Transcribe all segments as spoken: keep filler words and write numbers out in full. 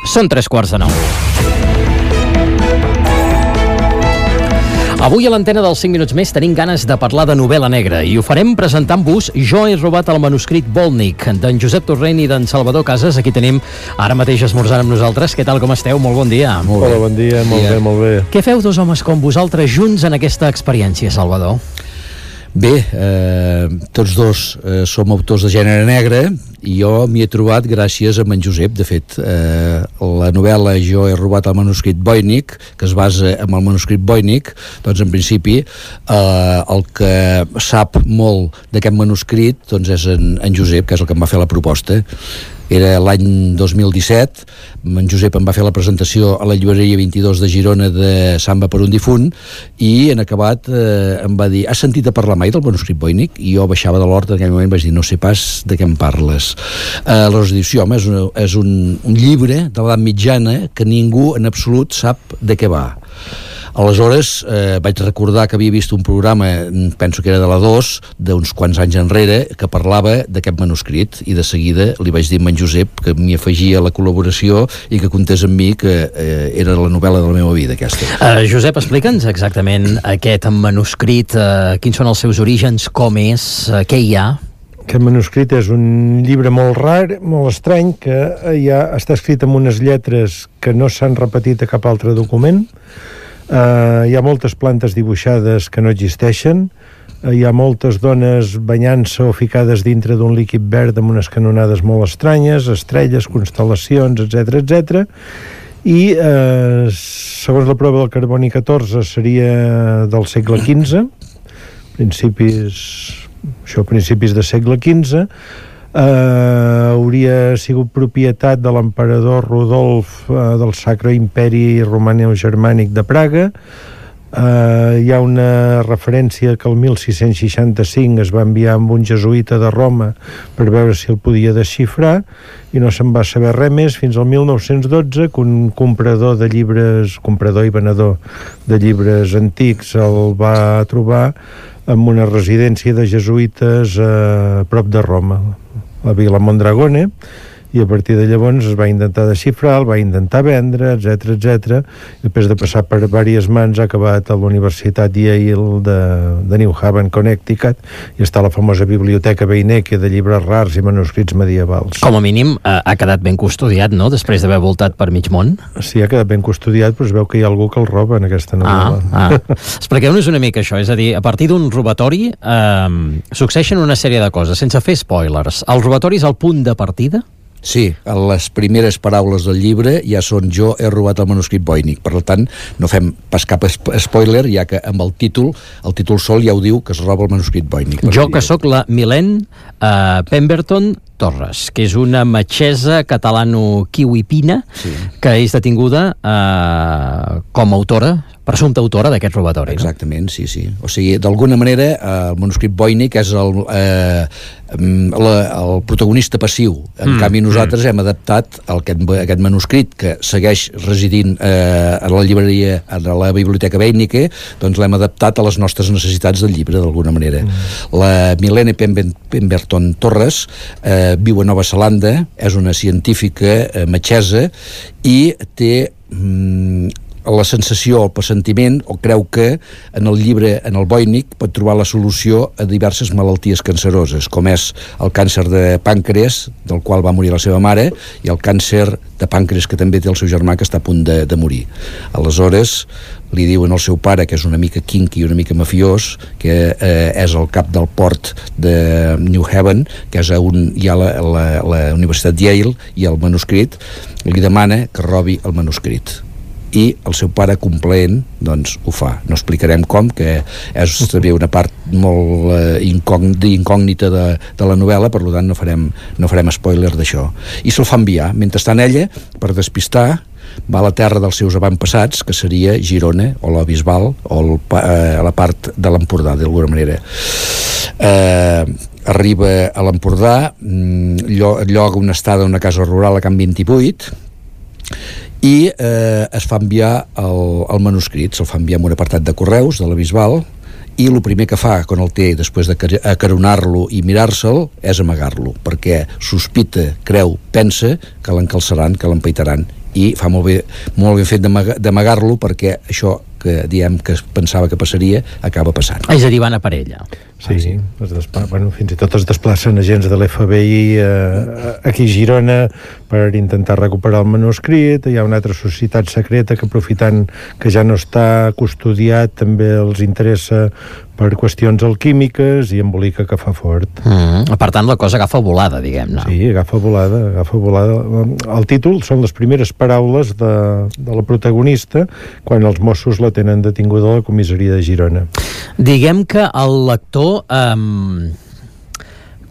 Són tres quarts de nou. Avui a l'antena dels cinc minuts més tenim ganes de parlar de novel·la negra i ho farem presentant-vos Jo he robat el manuscrit Volnik, d'en Josep Torrent i d'en Salvador Casas. Aquí tenim ara mateix esmorzant amb nosaltres. Què tal, com esteu? Molt bon dia. Molt Hola, bon dia, molt dia. bé, molt bé. Què feu dos homes com vosaltres junts en aquesta experiència, Salvador? Bé, eh, tots dos eh, som autors de gènere negre i jo m'hi he trobat gràcies a en Josep. De fet, eh, la novel·la Jo he robat el manuscrit Voynich, que es basa en el manuscrit Voynich, doncs en principi eh, el que sap molt d'aquest manuscrit doncs és en, en Josep, que és el que em va fer la proposta. Era l'any dos mil disset, en Josep em va fer la presentació a la llibreria vint-i-dos de Girona de Samba per un difunt i en acabat eh, em va dir: has sentit a parlar mai del manuscrit Voynich? I jo baixava de l'hort en aquell moment, vaig dir: no sé pas de què em parles. Eh, aleshores dius: sí, home, és, una, és un, un llibre de l'edat mitjana que ningú en absolut sap de què va. Aleshores eh, vaig recordar que havia vist un programa, penso que era de la dos, d'uns quants anys enrere, que parlava d'aquest manuscrit, i de seguida li vaig dir a en Josep que m'hi afegia la col·laboració i que comptés amb mi, que eh, era la novel·la de la meva vida, aquesta. Uh, Josep, explica'ns exactament aquest manuscrit, uh, quins són els seus orígens, com és, uh, què hi ha? Aquest manuscrit és un llibre molt rar, molt estrany, que ja està escrit amb unes lletres que no s'han repetit a cap altre document. Uh, hi ha moltes plantes dibuixades que no existeixen, uh, hi ha moltes dones banyant-se o ficades dintre d'un líquid verd amb unes canonades molt estranyes, estrelles, constel·lacions, etcètera, etcètera. I uh, segons la prova del carboni catorze seria del segle quinze, principis, això, principis de segle quinze. Uh, hauria sigut propietat de l'emperador Rodolf uh, del Sacre Imperi Romano-Germànic de Praga. Uh, hi ha una referència que el mil sis-cents seixanta-cinc es va enviar amb un jesuïta de Roma per veure si el podia desxifrar i no se'n va saber res més fins al mil nou-cents dotze, que un comprador de llibres, comprador i venedor de llibres antics el va trobar en una residència de jesuïtes a prop de Roma, la Vila Mondragone, i a partir de llavors es va intentar desxifrar, el va intentar vendre, etcètera, etcètera. Després de passar per diverses mans ha acabat a la Universitat Yale de, de New Haven, Connecticut, i està a la famosa biblioteca Beinecke de llibres rars i manuscrits medievals. Com a mínim eh, ha quedat ben custodiat, no?, després d'haver voltat per mig món. Sí, ha quedat ben custodiat, però es veu que hi ha algú que el roba en aquesta novel·la. Ah, ah. Expliqueu-nos una mica això, és a dir, a partir d'un robatori eh, succeeixen una sèrie de coses, sense fer spoilers. El robatori és el punt de partida? Sí, les primeres paraules del llibre ja són Jo he robat el manuscrit Voynich. Per tant, no fem pas cap spoiler, ja que amb el títol, el títol sol ja ho diu, que es roba el manuscrit Voynich. Jo que sóc la Milene uh, Pemberton Torres, que és una metgessa catalano-kiwipina, sí, que és detinguda uh, com a autora, presumpta autora d'aquest robatori. Exactament, no? sí, sí. O sigui, d'alguna manera, eh, el manuscrit Voynich és el, eh, la, el protagonista passiu. En mm, canvi, nosaltres mm. hem adaptat el, aquest, aquest manuscrit, que segueix residint eh, a la llibreria, a la biblioteca Beinecke, doncs l'hem adaptat a les nostres necessitats del llibre, d'alguna manera. Mm. La Milene Pemberton Torres eh, viu a Nova Zelanda, és una científica eh, metgessa i té... Mm, la sensació, el pressentiment, o creu que en el llibre, en el Voynich, pot trobar la solució a diverses malalties canceroses, com és el càncer de pàncreas, del qual va morir la seva mare, i el càncer de pàncreas que també té el seu germà, que està a punt de, de morir. Aleshores, li diuen al seu pare, que és una mica kinky, una mica mafiós, que eh, és el cap del port de New Haven, que és on hi ha la, la, la Universitat Yale i el manuscrit, li demana que robi el manuscrit. I el seu pare, complaent, doncs ho fa. No explicarem com, que és també una part molt eh, incògnita de, de la novel·la, per tant no farem, no farem spoiler d'això. I se'l fa enviar. Mentrestant ella, per despistar, va a la terra dels seus avantpassats, que seria Girona, o la Bisbal, o el, eh, a la part de l'Empordà, d'alguna manera. Eh, arriba a l'Empordà, lloga una estada a una casa rural a Can vint-i-vuit, i eh, es fa enviar el, el manuscrit, se'l fa enviar en un apartat de correus de la Bisbal, i el primer que fa quan el té, després de acaronar-lo i mirar-se'l, és amagar-lo, perquè sospita, creu, pensa que l'encalçaran, que l'empaitaran i fa molt bé, molt ben fet d'amagar-lo, perquè això que diem que es pensava que passaria acaba passant. És a dir, van a per ella. Sí, ah, sí. Es despla... bueno, fins i tot es desplacen agents de l'F B I eh, aquí a Girona per intentar recuperar el manuscrit. Hi ha una altra societat secreta que, aprofitant que ja no està custodiat, també els interessa per qüestions alquímiques i embolica que fa fort. Mm. Per tant, la cosa agafa volada, diguem-ne. Sí, agafa volada, agafa volada. El títol són les primeres paraules de, de la protagonista quan els Mossos la tenen detinguda a la comissaria de Girona. Diguem que el lector eh,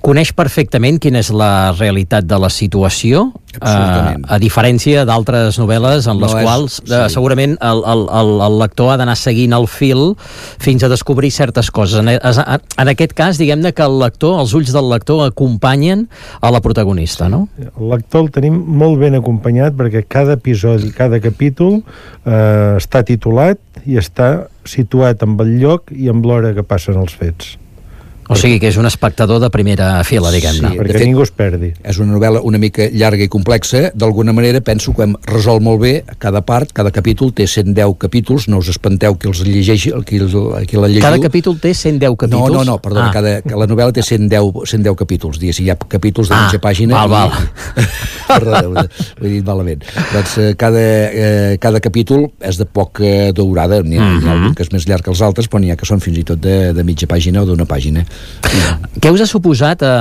coneix perfectament quina és la realitat de la situació, eh, a diferència d'altres novel·les en les no quals és, sí. eh, segurament el, el, el, el lector ha d'anar seguint el fil fins a descobrir certes coses. En, en aquest cas, diguem-ne que el lector, els ulls del lector acompanyen a la protagonista, no? El lector el tenim molt ben acompanyat perquè cada episodi, cada capítol eh, està titulat i està situat amb el lloc i amb l'hora que passen els fets. O sigui que és un espectador de primera fila, diguem-ne. Sí, perquè fet, ningú es perdi. És una novel·la una mica llarga i complexa. D'alguna manera penso que hem resolt molt bé cada part, cada capítol té cent deu capítols, no us espanteu qui els llegeixi, qui, qui la llegiu. Cada capítol té cent deu capítols? No, no, no, perdona, ah. cada, la novel·la té cent deu, cent deu capítols, digues, hi ha capítols de ah, mitja pàgina. Val, val. I, perdona, ho he dit malament. Doncs cada, eh, cada capítol és de poca durada, n'hi ha, mm-hmm. hi ha algun que és més llarg que els altres, però n'hi ha que són fins i tot de, de mitja pàgina o d'una pàgina. Què us ha suposat eh,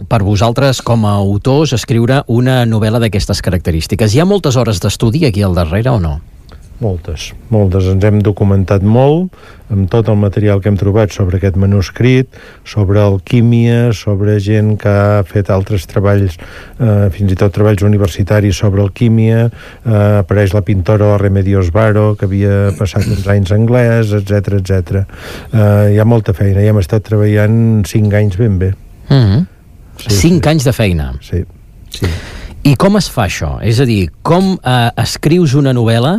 per vosaltres com a autors escriure una novel·la d'aquestes característiques? Hi ha moltes hores d'estudi aquí al darrere o no? Moltes, moltes. Ens hem documentat molt amb tot el material que hem trobat sobre aquest manuscrit, sobre alquímia, sobre gent que ha fet altres treballs, eh, fins i tot treballs universitaris sobre alquímia, eh, apareix la pintora Remedios Varo, que havia passat uns anys anglès, etcètera, etcètera. Eh, hi ha molta feina, i hem estat treballant cinc anys ben bé. Mm-hmm. Sí, cinc sí. anys de feina? Sí. sí. I com es fa això? És a dir, com eh, escrius una novel·la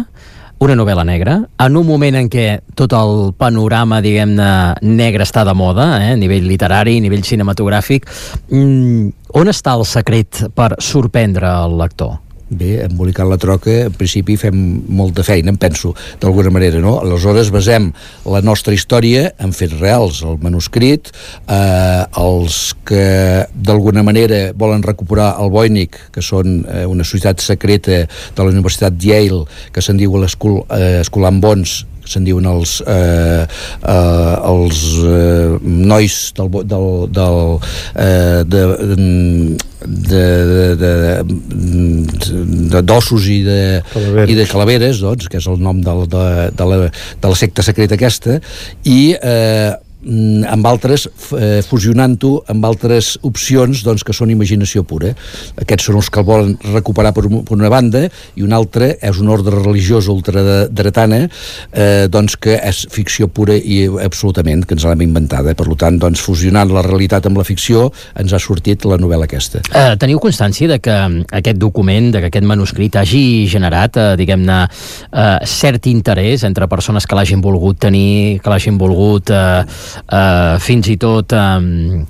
una novel·la negra, en un moment en què tot el panorama, diguem-ne, negre està de moda, eh, a nivell literari, a nivell cinematogràfic. Mm, on està el secret per sorprendre el lector? Bé, embolicar la troca, en principi fem molta feina, em penso, d'alguna manera, no? Aleshores basem la nostra història en fets reals, el manuscrit, eh, els que d'alguna manera volen recuperar el Voynich, que són eh, una societat secreta de la Universitat Yale, que se'n diu l'Skull eh, and Bones, se'n diuen els eh, eh, els eh, nois del, del, del eh, de, de, de, de d'ossos i de, i de calaveres, doncs, que és el nom del, de, de, la, de la secta secreta aquesta, i eh, amb altres, eh, fusionant-ho amb altres opcions, doncs, que són imaginació pura. Aquests són els que el volen recuperar per, un, per una banda, i un altre és un ordre religiós ultradretana, eh, doncs, que és ficció pura i absolutament, que ens l'hem inventada. Per tant, doncs, fusionant la realitat amb la ficció, ens ha sortit la novel·la aquesta. Eh, teniu constància de que aquest document, de que aquest manuscrit hagi generat, eh, diguem-ne, eh, cert interès entre persones que l'hagin volgut tenir, que l'hagin volgut eh, Uh, fins i tot um,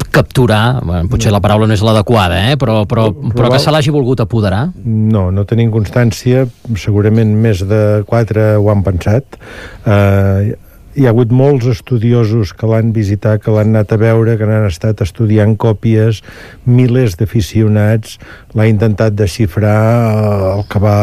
capturar, bueno, potser la paraula no és l'adequada, eh? però, però, però que se l'hagi volgut apoderar? No, no tenim constància, segurament més de quatre ho han pensat. Uh, hi ha hagut molts estudiosos que l'han visitat, que l'han anat a veure, que n'han estat estudiant còpies, milers d'aficionats, l'ha intentat desxifrar, el que va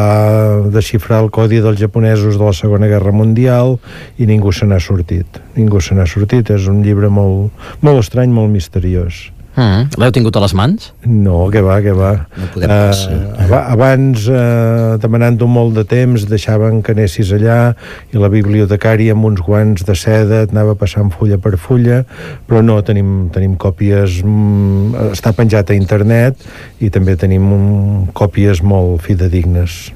desxifrar el codi dels japonesos de la Segona Guerra Mundial, i ningú se n'ha sortit. Ningú se n'ha sortit. És un llibre molt, molt estrany, molt misteriós. Mm. L'heu tingut a les mans? No, que va, que va. No podem pas. Uh, abans, uh, demanant-ho molt de temps, deixaven que anessis allà i la bibliotecària amb uns guants de seda et anava passant fulla per fulla, però no, tenim, tenim còpies, mm, està penjat a internet, i també tenim um, còpies molt fidedignes.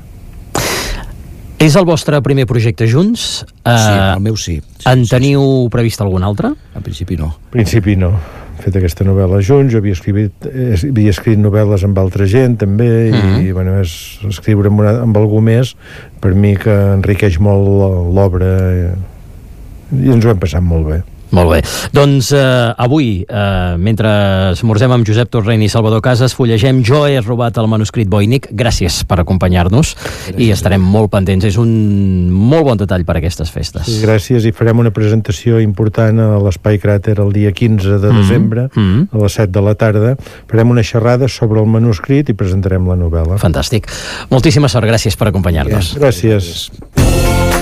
És el vostre primer projecte junts? Uh, sí, el meu sí. sí en sí, teniu sí. previst algun altre? En principi no. En principi no. He fet aquesta novel·la junts, jo havia escrit, havia escrit novel·les amb altra gent també, mm-hmm. i bueno, és escriure amb, una, amb algú més, per mi que enriqueix molt l'obra, i ens ho hem passat molt bé. Molt bé. Doncs eh, avui, eh, mentre esmorzem amb Josep Torrent i Salvador Casas, fullegem Jo he robat el manuscrit Voynich. Gràcies per acompanyar-nos i estarem molt pendents. És un molt bon detall per a aquestes festes. Sí, gràcies, i farem una presentació important a l'Espai Cràter el dia quinze de desembre, mm-hmm. a les set de la tarda. Farem una xerrada sobre el manuscrit i presentarem la novel·la. Fantàstic. Moltíssima sort. Gràcies per acompanyar-nos. Gràcies.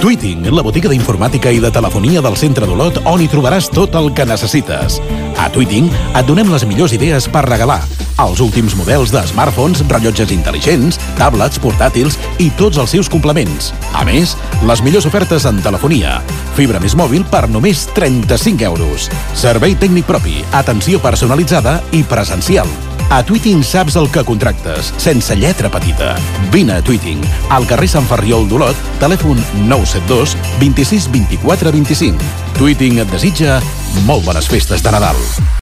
Tweeting, la botiga d'informàtica i de telefonia del centre d'Olot, on hi trobaràs tot el que necessites. A Tweeting et donem les millors idees per regalar. Els últims models de smartphones, rellotges intel·ligents, tablets, portàtils i tots els seus complements. A més, les millors ofertes en telefonia. Fibra més mòbil per només trenta-cinc euros. Servei tècnic propi, atenció personalitzada i presencial. A Tweeting saps el que contractes, sense lletra petita. Vine a Tweeting, al carrer Sant Ferriol d'Olot, telèfon nou set dos, vint sis, vint quatre, vint cinc. Tweeting et desitja molt bones festes de Nadal.